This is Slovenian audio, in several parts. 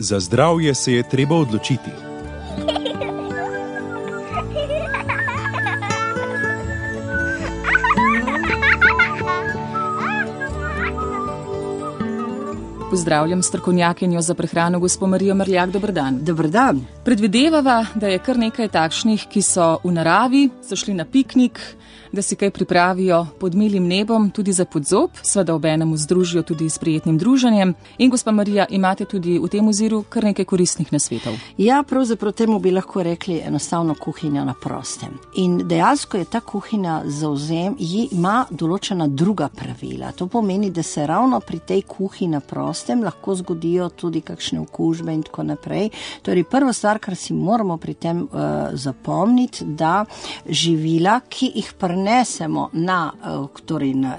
Za zdravje se je treba odločiti. Pozdravljam strokovnjakinjo za prehrano, gospo Marijo Merljak. Dober dan. Dober dan. Predvidevava, da je kar nekaj takšnih, ki so v naravi, so šli na piknik, da si kaj pripravijo pod milim nebom, tudi za podzob, seveda obenem združijo tudi s prijetnim druženjem. In gospa Marija, imate tudi v tem oziru kar nekaj koristnih nasvetov. Ja, pravzaprav temu bi lahko rekli enostavno kuhinja na prostem. In dejansko je ta kuhinja ima določena druga pravila. To pomeni, da se ravno pri tej kuhinji na prostem lahko zgodijo tudi kakšne okužbe in tako naprej. Torej, prva stvar, kar si moramo pri tem zapomniti, da živila, ki jih prenesemo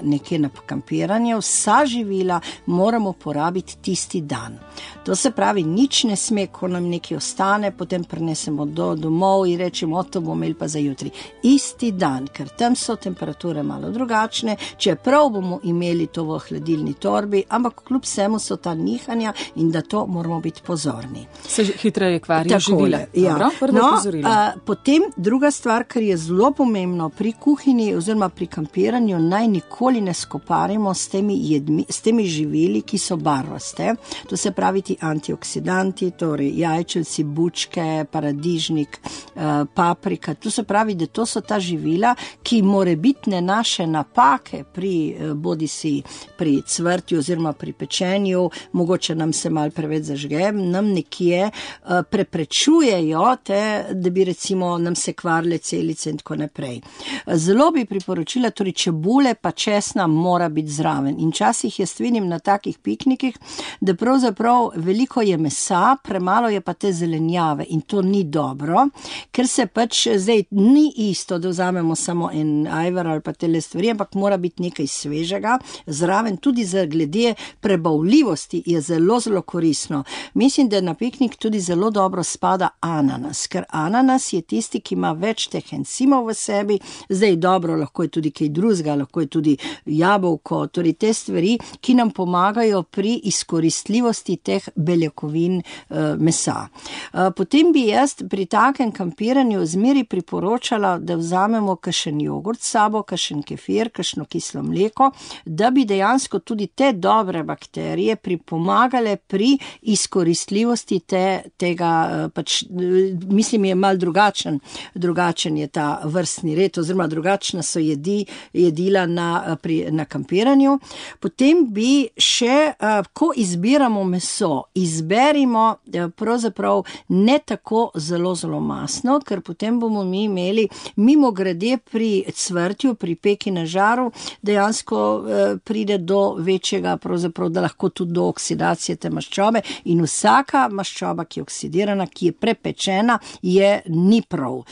nekje na kampiranje, vsa živila moramo porabiti tisti dan. To se pravi, nič ne sme, ko nam nekaj ostane, potem prenesemo domov in rečemo, to bomo imeli pa za jutri. Isti dan, ker tam so temperature malo drugačne, čeprav bomo imeli to v hladilni torbi, ampak kljub vsemu so ta nihanja in da to moramo biti pozorni. Se hitreje kvarijo živila. Ja. Potem druga stvar, kar je zelo pomembno pri kuhinji oziroma pri kampiranju, naj nikoli ne skoparimo s temi živili, ki so barvaste. To se pravi ti antioksidanti, torej jajčevci, bučke, paradižnik, paprika. To se pravi, da to so ta živila, ki morebitne naše napake bodisi pri cvrtju oziroma pri pečenju, mogoče nam se malo preveč zažge, nam nekje preprečujejo da bi recimo nam se kvarile celice in tako naprej. Zelo bi priporočila, torej čebule pa česna mora biti zraven. In časih jaz vidim na takih piknikih, da pravzaprav veliko je mesa, premalo je pa te zelenjave in to ni dobro, ker se pač zdaj ni isto, da vzamemo samo en ajvar ali pa tele stvari, ampak mora biti nekaj svežega zraven, tudi za glede prebavljivosti je zelo, zelo koristno. Mislim, da na piknik tudi zelo dobro spada ananas, ker ananas je tisti, ki ima več teh encimov v sebi, zdaj dobro, lahko je tudi kaj drugega, lahko je tudi jabolko, torej te stvari, ki nam pomagajo pri izkoristljivosti teh beljakovin mesa. Potem bi jaz pri takem kampiranju zmeri priporočala, da vzamemo kakšen jogurt s sabo, kakšen kefir, kakšno kislo mleko, da bi dejansko tudi te dobre bakterije pripomagale pri izkoristljivosti tega, pač mislim je malo drugačen je ta vrstni red, oziroma drugačna so jedila na kampiranju. Potem bi še, ko izbiramo meso, izberimo pravzaprav ne tako zelo, zelo masno, ker potem bomo mi imeli mimogrede pri cvrtju, pri peki na žaru, dejansko pride do večjega, pravzaprav, da lahko tudi do oksidacije te maščobe in vsaka maščoba, ki je oksidirana, ki je prepečena, ni prav.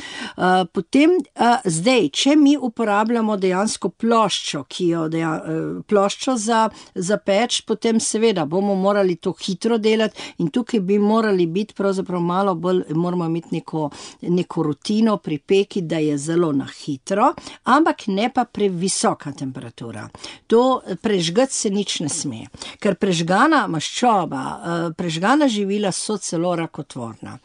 Potem zdaj, če mi uporabljamo dejansko ploščo, ploščo za peč, potem seveda bomo morali to hitro delati in tukaj bi morali biti pravzaprav malo bolj, moramo imeti neko rutino pri peki, da je zelo na hitro, ampak ne pa previsoka temperatura. To prežgati se nič ne sme, ker prežgana maščoba, prežgana živila so celo rakotvorna.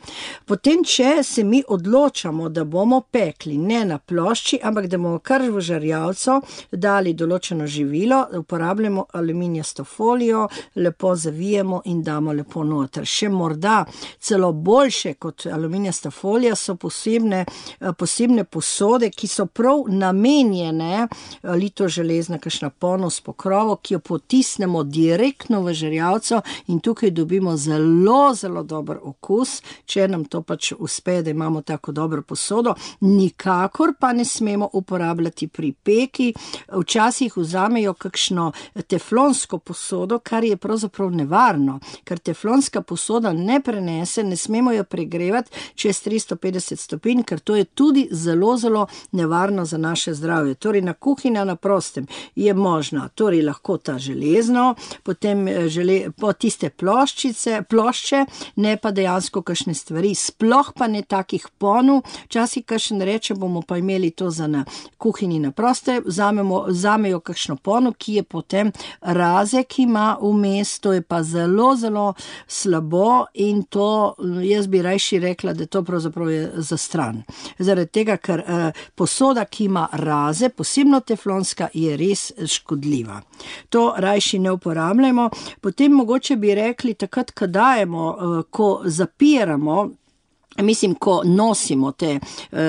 Potem, če se mi odločamo, da bomo pekli ne na plošči, ampak da bomo kar v žarjavco dali določeno živilo, uporabljamo aluminijasto folijo, lepo zavijemo in damo lepo noter. Še morda celo boljše kot aluminijasta folija so posebne posode, ki so prav namenjene, lito železna, kakšna ponev s pokrovo, ki jo potisnemo direktno v žarjavco in tukaj dobimo zelo, zelo dober okus, če nam to pač uspe, da imamo tako dobro posodo. Nikakor pa ne smemo uporabljati pri peki. Včasih vzamejo kakšno teflonsko posodo, kar je pravzaprav nevarno, ker teflonska posoda ne prenese, ne smemo jo pregrevati čez 350 stopinj, ker to je tudi zelo, zelo nevarno za naše zdravje. Torej, na kuhinja na prostem je možna, torej lahko ta železno, potem po tiste plošče, ne pa dejansko kakšne stvari, sploh pa ne takih ponov. Včasih kakšen reče, bomo pa imeli to za na kuhinji na proste, vzamejo kakšno pono, ki je potem raze, ki ima vmes, to je pa zelo, zelo slabo in to, jaz bi rajši rekla, da to pravzaprav je za stran. Zaradi tega, ker posoda, ki ima raze, posebno teflonska, je res škodljiva. To rajši ne uporabljamo. Potem mogoče bi rekli, takrat, ko dajemo, ko zapiramo, mislim, ko nosimo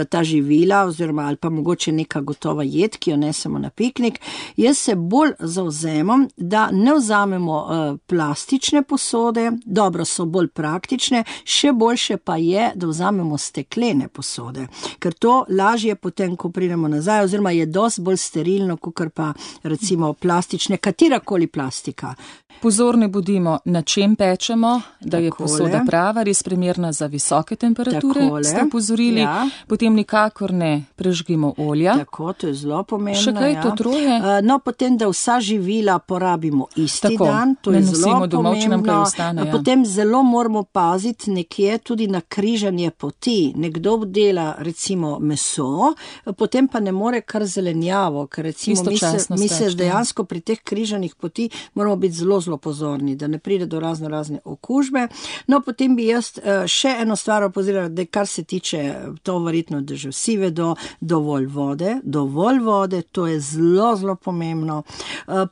ta živila oziroma ali pa mogoče neka gotova jed, ki jo nesemo na piknik, jaz se bolj zavzemam, da ne vzamemo plastične posode, dobro so bolj praktične, še boljše pa je, da vzamemo steklene posode, ker to lažje potem, ko pridemo nazaj, oziroma je dosti bolj sterilno, kakor pa recimo plastične, katerakoli plastika. Pozorni bodimo, na čem pečemo, da je posoda prava, res primerna za visoke temperature, ste opozorili, potem nikakor ne prežgimo olja. Tako, to je zelo pomembno. Še kaj to troje? No, potem, da vsa živila porabimo isti dan, to je zelo pomembno. Potem zelo moramo paziti nekje tudi na križanje poti. Nekdo dela recimo meso, potem pa ne more kar zelenjavo, ker recimo mi se dejansko pri teh križanih poti moramo biti zelo pozorni, da ne pride do razne okužbe. No, potem bi jaz še eno stvar opozorila, da kar se tiče, to verjetno, da že vsi vedo, dovolj vode, to je zelo, zelo pomembno.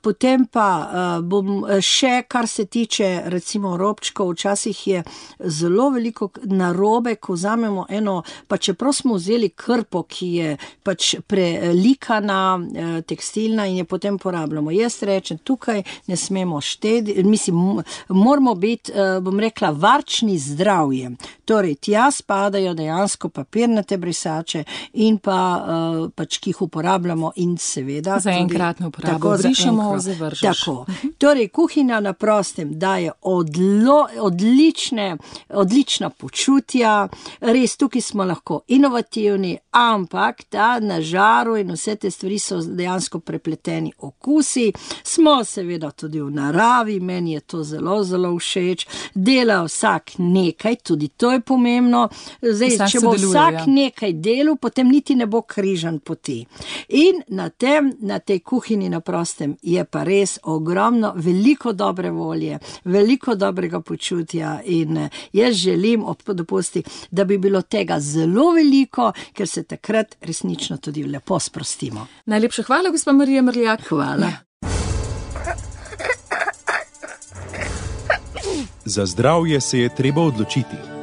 Potem pa bom še, kar se tiče recimo robčkov, včasih je zelo veliko narobe, ko vzamemo eno, pa čeprav smo vzeli krpo, ki je pač prelikana, tekstilna in je potem porabljamo. Jaz rečem, tukaj ne smemo mislim, moramo biti, bom rekla, varčni zdravjem. Torej, tja spadajo dejansko papirnate brisače in pa pač, ki jih uporabljamo in seveda za enkratno uporabo, brišemo, zavržeš. Tako. Torej, kuhinja na prostem daje odlična počutja, res tukaj smo lahko inovativni, ampak na žaru in vse te stvari so dejansko prepleteni okusi. Smo seveda tudi v naravi, meni je to zelo, zelo všeč. Dela vsak nekaj, tudi to je pomembno. Zdaj, če bo vsak nekaj delal, potem niti ne bo križan poti. In na tej kuhinji na prostem je pa res ogromno, veliko dobre volje, veliko dobrega počutja in jaz želim dopusti, da bi bilo tega zelo veliko, ker se takrat resnično tudi lepo sprostimo. Najlepša hvala, gospa Marija Mrljak. Hvala. Za zdravje se je treba odločiti.